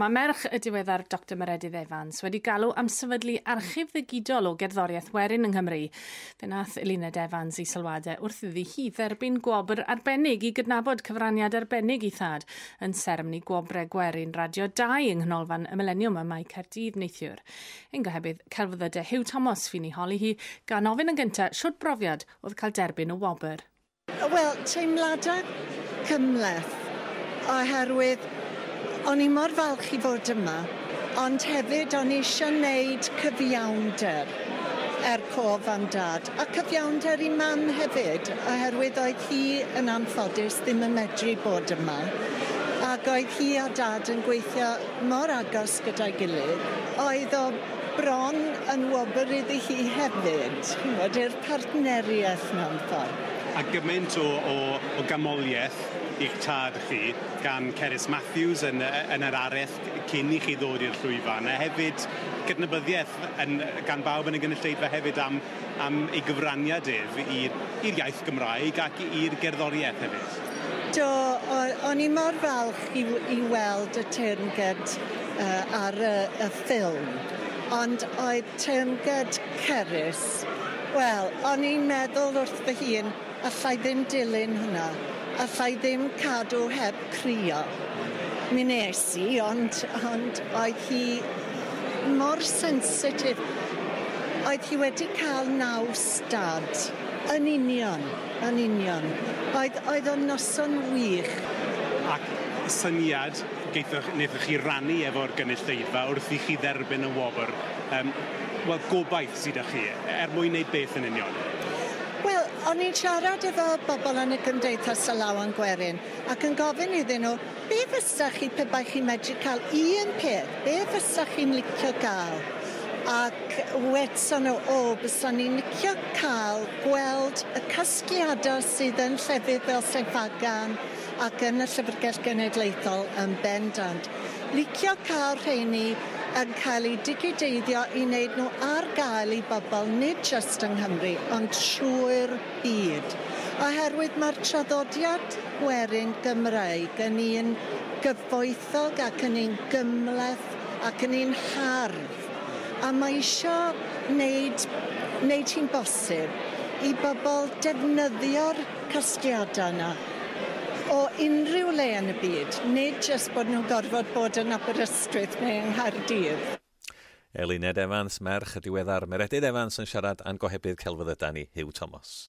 Mae merch y diweddar Dr Meredydd Evans wedi galw am sefydlu archif ddigidol o gerddoriaeth werin yng Nghymru. Fe nath Eluned Evans i sylwadau wrth iddi hi dderbyn gwobr arbennig i gydnabod cyfraniad arbennig i thad yn seremoni Gwobrau Gwerin Radio 2 yng Nghanolfan y Mileniwm ym Mae Caerdydd neithiwr. Ein gohebydd celfyddydau Huw Thomas fu'n ei holi hi gan ofyn yn gyntaf siwt brofiad oedd cael derbyn y wobr. Wel, teimladau cymhleth oherwydd o'n i mor falch i fod yma, ond hefyd o'n i eisiau wneud cyfiawnder er cof am dad, a cyfiawnder i mam hefyd, oherwydd oedd hi yn anffodus ddim yn medru bod yma, ac oedd hi a dad yn gweithio mor agos gyda'i gilydd. Oedd o bron yn wobr iddi hi hefyd, ch'mod, i'r partneriaeth mewn ffordd. A gymaint o, o, o ganmoliaeth i'ch tad chi gan Cerys Matthews yn, yn yr araith cyn i chi ddod i'r llwyfan, a hefyd cydnabyddiaeth yn, gan bawb yn y gynulleidfa hefyd am, am ei gyfraniad ef i'r iaith Gymraeg ac i'r gerddoriaeth hefyd. Do, o'n i mor falch i, i weld y teyrnged ar y, y ffilm, ond oedd teyrnged Cerys, wel, o'n i'n meddwl wrth fy hun, allai ddim dilyn hwnna, allai ddim cadw heb crio. Mi nes i, ond, ond oedd hi mor sensitif. Oedd hi wedi cael naws dad. Yn union, yn union. Oedd, oedd o'n noson wych. Ac syniad geithoch, wnaethoch chi rannu efo'r gynulleidfa wrth i chi dderbyn y wobr. Um, Wel, gobaith sydd â chi, er mwyn wneud beth yn union? Wel, o'n i'n siarad efo bobl yn y Gymdeithas Alawon Gwerin ac yn gofyn iddyn nhw, be fysa chi pe bai chi'n medru cael un peth, be fysa chi'n licio gael? Ac wedson nhw, o, bysa ni'n licio cael gweld y casgliadau sydd yn llefydd fel Sain Ffagan ac yn y Llyfrgell Genedlaethol yn bendant. Licio cael rheini yn cael eu digideiddio i wneud nhw ar gael i bobl, nid jyst yng Nghymru, ond trwy'r byd. Oherwydd mae'r traddodiad gwerin Gymraeg yn un gyfoethog ac yn un gymhleth ac yn un hardd. A mae isio wneud, wneud hi'n bosib i bobl defnyddio'r casgliadau yna o unrhyw le yn y byd, nid jyst bod nhw'n gorfod bod yn Aberystwyth neu yng Nghaerdydd. Eluned Evans, merch y diweddar Meredydd Evans yn siarad â'n gohebydd celfyddydau ni, Huw Thomas.